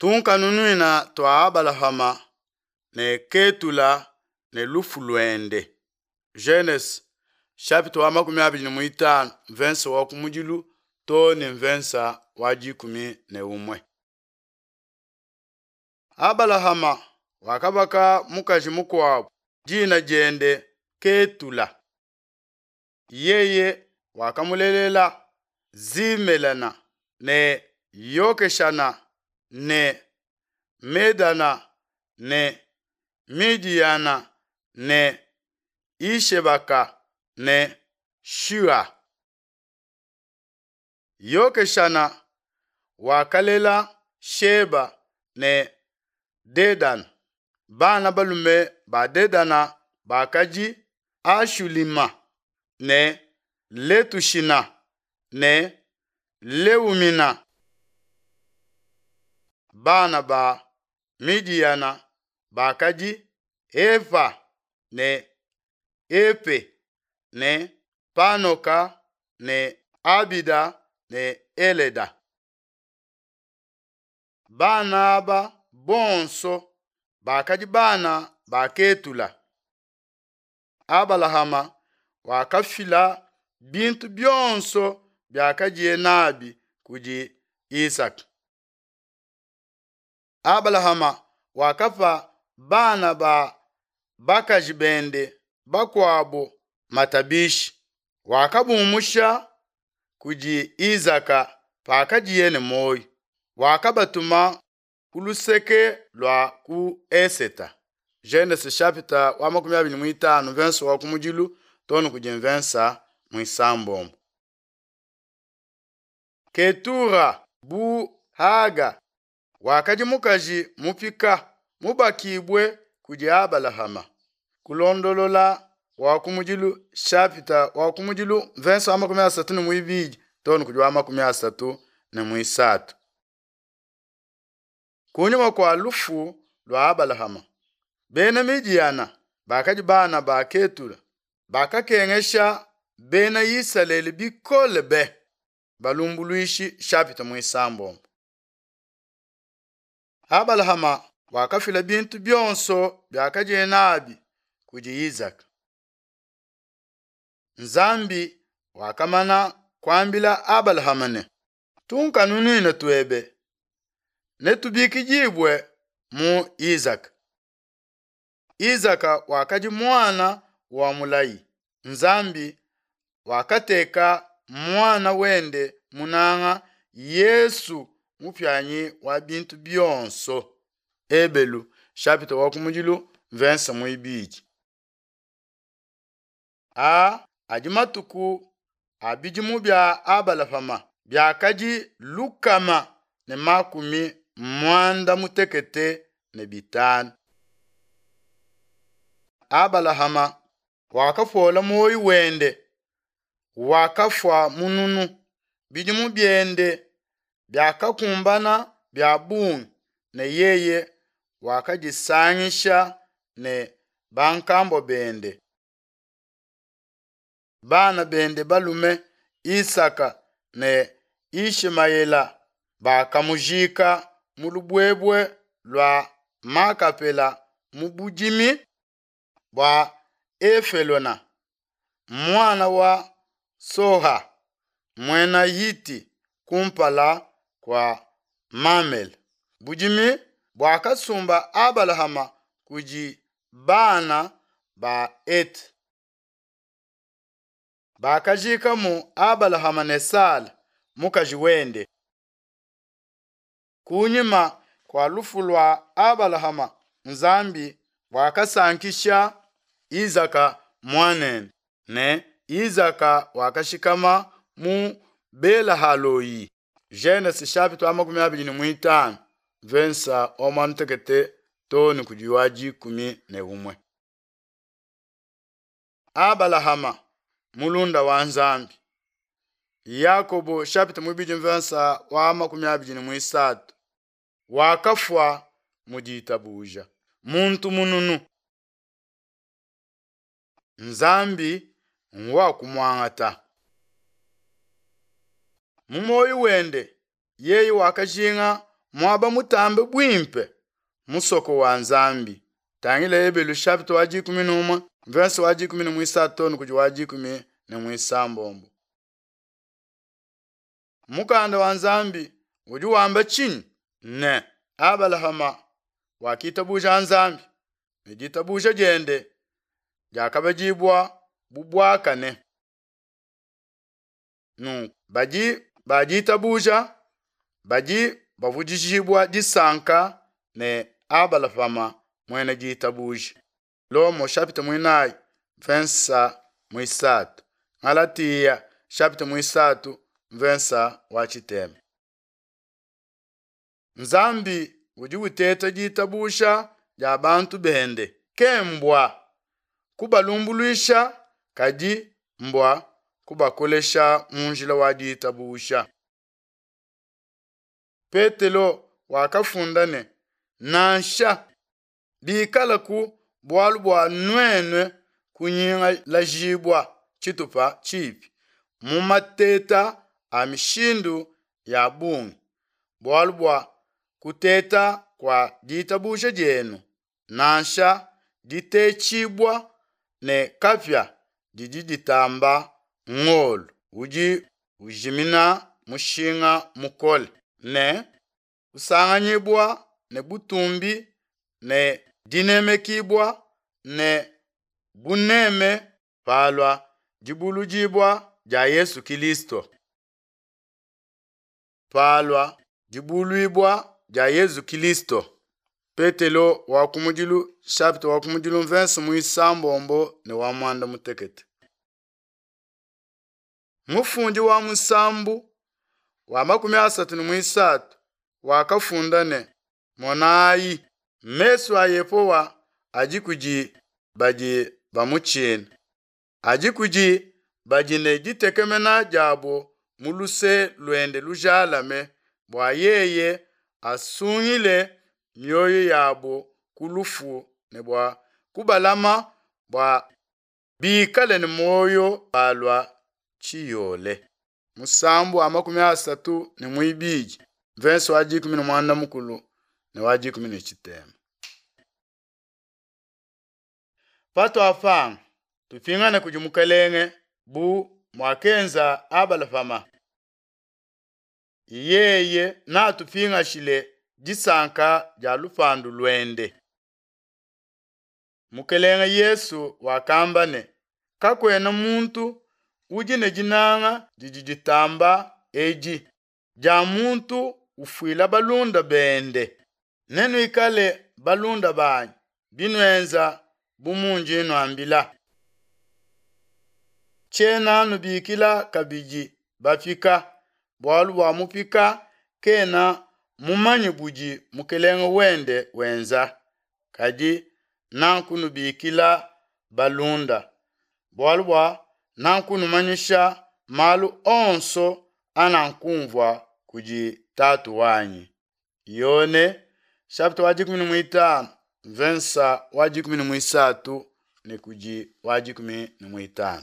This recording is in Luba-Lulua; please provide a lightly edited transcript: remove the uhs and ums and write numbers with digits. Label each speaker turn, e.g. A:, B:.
A: Tunkanunuina tua Abalahama ne Ketula ne lufu luende. Genese chapitre wa 25 mvensa wa kumudilu to ne mvensa wa 11. Abalahama wakabaka mukaji mukuabu dina diende Ketula. Yeye wakamulelela Zimelana ne Yokeshana ne Medana ne Midiyana ne Ishebaka ne Shua. Yokeshana wakalela Sheba ne Dedana. Bana balume ba Dedana bakadi Ashulima ne Letushina ne Leumina. Bana ba Midiyana bakadi Eva ne Epe ne Panoka ne Abida ne Eleda. Bana aba bonso bakadi bana ba Ketula. Abalahama wakafila bintu bionso biakadiye nabi kudi Isaka. Abalahama wakapa bana ba bakaji bende bakuabo matabishi, wakabumusha kudi Isaka pakadiye ne muoyo, wakabatuma ku luseke lua ku Eseta. Genese chapitre wa 25 verse wa kumudilu too ne kudi mvensa muisambombo. Ketura bu Haga wakadi mukaji mupika mubakibue kudi Abalahama. Kulondolola wa kumudilu chapitre wa kumudilu mvensa wa 32 too ne kudi wa 33. Kunyima kua lufu lua Abalahama, bena Midiyana bakadi bana ba Ketula bakakengesha bena Isalele bikole be. Balumbuluishi chapitre muisambombo. Abalahama wakafila bintu bionso biakadiye nabi kudi Isaka. Nzambi wakamana kuambila Abalahama ne, tunkanunuina tuebe netubikidibue mu Isaka. Isaka wakadi muana wa mulayi. Nzambi wakateka muana wende munanga Yesu mupianyi wa bintu bionso. Ebelu chapitre wa kumudilu verse muibidi. A adi matuku a bidimu bia Abalahama biakadi 165. Abalahama wakapola moyo wende, wakafua mununu, bidimu biende biakakumbana bia bungi, ne yeye wakadisangisha ne bankambo bende. Bana bende balume Isaka ne Ishimayela bakamujika mu lubwebwe lua Makapela mu budimi bua Efelona, muana wa Soha muena Hiti kumpala kua Mamele. Budimi buakasumba Abalahama kudi bana ba Heti. Bakajikamu Abalahama ne Sala mukaji wende. Kunyima kua lufu lua Abalahama, Nzambi wakasankisha Isaka muanende, ne Isaka wakashikama mu Belahaloi. Genese chapitre wa 25 verse wa muanda too ne kudi wa 11. Abalahama mulunda wa Nzambi. Yakobo chapitre 2 verse wa 23 wakafua mu ditabuja muntu mununu. Nzambi ngwa kumwangata. Mu moyo wende yeye wakajinga muaba mutambe buimpe, musoko wa Nzambi. Tangila Ebelu chapitre wa 11 verse wa 13 too ne kudi wa 16. Mukanda wa Nzambi udi wamba tshinyi? Ne, Abalahama wakitabuja Nzambi, ne ditabuja diende diakabadibua bu buakane. Nunku badi ba ditabuja badi bavudijibua disanka ne Abalahama muena ditabuja. Lomo chapitre muinayi mvensa muisatu. Galatia chapitre muisatu mvensa wa tshitema. Nzambi udi uteta ditabuja dia bantu bende, ke mbua kubalumbuluisha kadi mbua kubakolesha mu njila wa ditabuja. Petelo wakafunda ne, Nansha bikalaku bualu bua nuenu kunyingalajibua tshitupa tshipi mu mateta a mishindu ya bungi, bualu bua kuteta kua ditabuja dienu, nansha ditetshibua ne kapia didi ditamba ngolo udi ujimina mushinga mukole, ne kusanganyibua ne butumbi ne dinemekibua ne buneme palua dibuludibua dia Yesu Kilisto. Palua dibuluibua dia Yezu Kilisto. Petelo wa kumudilu chapitre wa kumudilu mvense muisambombo ne wa muanda mutekete. Mufundi wa musambu wa 33 wakafunda ne, Monayi, mesu a Yehowa adi kudi badi bamutshina, adi kudi badi ne ditekemena diabo mu luse luende lujalame, bua yeye asungile mioyo yabo ku lufu ne bua kubalama bua bikale ne muoyo palua tshiyole. Musambu wa 32 mvense wa 11 ne wa 13. Patuapanga, tupingane kudi Mukelenge bu muakenza Abalahama. Yeye natupingashile disanka dia lupandu luende. Mukelenge Yesu wakamba ne, Kakuena muntu udi ne dinanga didi ditamba edi, dia muntu ufuila balunda bende. Nenuikale balunda banyi, binuenza bu mundi nnuambila. Tshiena nubikila kabidi bapika, bualu bua mupika kena mumanye budi mukelenge wende wenza, kadi nakunubikila balunda, bualu bua nakunumanyisha malu onso anankumvua kudi Tatu wanyi. Yone chapitre wa 15 mvensa wa 13 ne kudi wa 15.